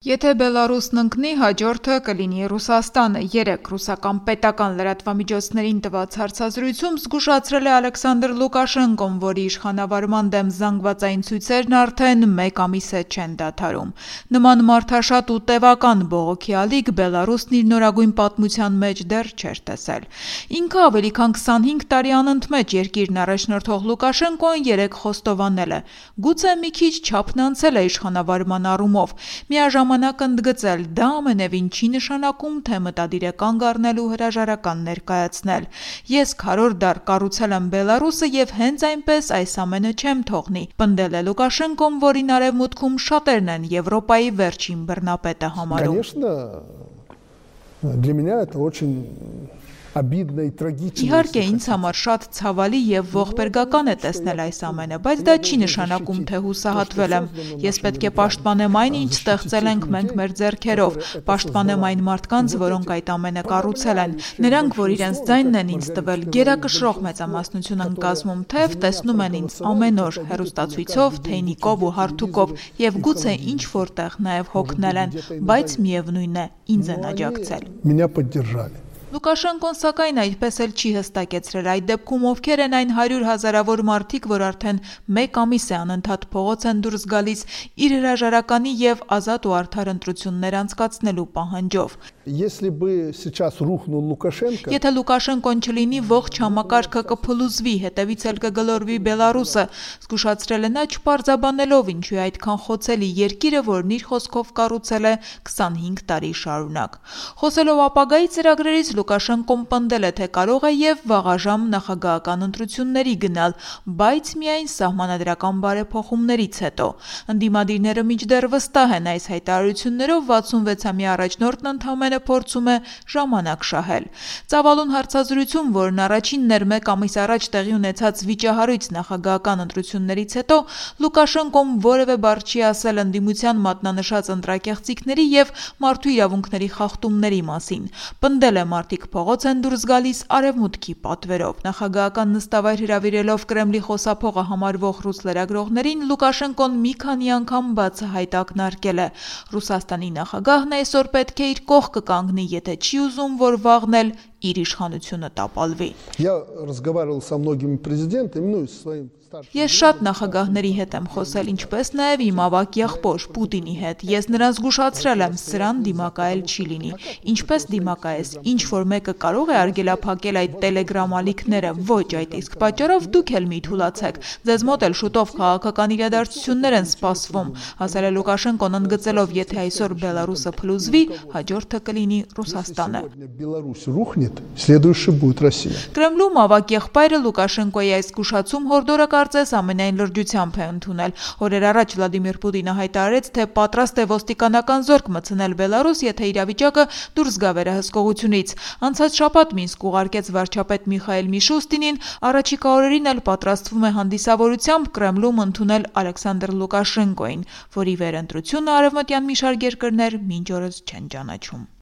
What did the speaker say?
Եթե Բելարուսն ընկնի, հաջորդը կլինի Ռուսաստանը։ Երեկ ռուսական պետական լրատվամիջոցներին տված հարցազրույցում զգուշացրել է Ալեքսանդր Լուկաշենկոն, որի իշխանավարման դեմ զանգվածային ցույցերն արդեն մեկ ամիս է չեն դադարում։ Նման մարդաշատ ու տևական բողոքի ալիք Բելարուսն իր նորագույն պատմության մեջ դեռ չէր տեսել։ Ինքը ավելի քան 25 տարի անընդմեջ երկիրն առաջնորդող Լուկաշենկոն երեկ խոստովանել է. գուցե մի քիչ չափն անցել է իշխանավարման առումով, միաժամանակ ընդգծել, դա ամենևին չի նշանակում, թե մտադիր է կանգ առնել ու հրաժարական ներկայացնել։ Ես քառորդ դար կառուցել եմ Բելարուսը եւ հենց այնպես այս ամենը չեմ թողնի, պնդել է Լուկաշենկոն, որին արևմուտքում շատերն են Եվրոպայի վերջին բռնապետը համարում։ Իհարկե, ինձ համար շատ ցավալի եւ ողբերգական է տեսնել այս ամենը, բայց դա չի նշանակում, թե հուսահատվել եմ։ Ես պետք է պաշտպանեմ այն, ինչ ստեղծել ենք մենք մեր ձեռքերով, պաշտպանեմ այն մարդկանց, որոնք այդ ամենը կառուցել են։ Նրանք, որ իրենց ձայնն են ինձ տվել, գերակշռող մեծամասնություն են կազմում, թեև տեսնում են ինձ ամեն օր հեռուստացույցով, թեյնիկով ու հարթուկով եւ գուցե ինչ որտեղ նաեւ հոգնել են, բայց միևնույն է, ինձ են աջակցել։ Լուկաշենկոն սակայն այդպես էլ չի հստակեցրել այդ դեպքում ովքեր են այն 100 հազարավոր մարդիկ, որ արդեն մեկ ամիս է անընդհատ փողոց են դուրս գալիս իր հրաժարականի եւ ազատ ու արդար ընտրություններ անցկացնելու պահանջով։ Եթե Լուկաշենկոն չլինի, ողջ համակարգը կփլուզվի, հետևից էլ կգլորվի Բելարուսը, զգուշացրել է նա չպարզաբանելով ինչու է այդքան խոցելի երկիրը, որն իր խոսքով կառուցել է 25 տարի շարունակ։ Խոսելով ապագայի ծրագրերից Լուկաշենկոն պնդել է, թե կարող է եւ վաղաժամ նախագահական ընտրությունների գնալ, բայց միայն սահմանադրական բարեփոխումներից հետո։ Ընդդիմադիրները մինչդեռ վստահ են այս հայտարարություններով 66-ամյա առաջնորդն ընդամենը փորձում է ժամանակ շահել։ Ծավալուն հարցազրույցում, որն առաջինն էր մեկ ամիս առաջ տեղի ունեցած վիճահարույց նախագահական ընտրություններից հետո, Լուկաշենկոն որևէ բառ չի ասել ընդդիմության մատնանշած ընտրակեղծիքների եւ մարդու իրավունքների խախտումների մասին։ Պնդել է մարդիկ փողոց են դուրս գալիս արևմուտքի պատվերով։ Նախագահական նստավայր հրավիրելով Կրեմլի խոսափողը համարվող ռուս լրագրողներին Լուկաշենկոն մի քանի անգամ բացահայտ ակնարկել է. Ռուսաստանի նախագահն այսօր պետք է իր կողքը կանգնի, եթե չի ուզում, որ վաղն էլ իր իշխանությունը տապալվի։ Ես շատ նախագահների հետ եմ խոսել, ինչպես նաև իմ ավագ եղբոր Պուտինի հետ։ Ես նրան զգուշացրել եմ, սրան դիմակայել չի լինի։ Ինչպես դիմակայես, ինչ որ մեկը կարող է արգելափակել այդ տելեգրամ ալիքները, ոչ այդ իսկ պատճառով դուք էլ մի թուլացեք։ Ձեզ մոտ էլ շուտով քաղաքական իրադարձություններ են սպասվում, ասել է Լուկաշենկոն, ընդգծելով, եթե այսօր Բելարուսը փլուզվի, հաջորդը կլինի Ռուսաստանը։ Կրեմլում ավագ եղբայրը Լուկաշենկոյի այս զգուշացում հորդորը կարծես ամենայն լրջությամբ է ընդունել։ Օրեր առաջ Վլադիմիր Պուտինը հայտարարեց, թե պատրաստ է ոստիկանական զորք մտցնել Բելարուս, եթե իրավիճակը դուրս գա վերահսկողությունից։ Անցած շաբաթ Մինսկ ուղարկեց վարչապետ Միխայել Միշուստինին, առաջիկա օրերին էլ պատրաստվում է հանդիսավորությամբ Կրեմլում ընդունել Ալեքսանդր Լուկաշենկոին, որի վերընտրությունը արևմտյան մի շարք երկրներ մինչ օրս չեն ճանաչում։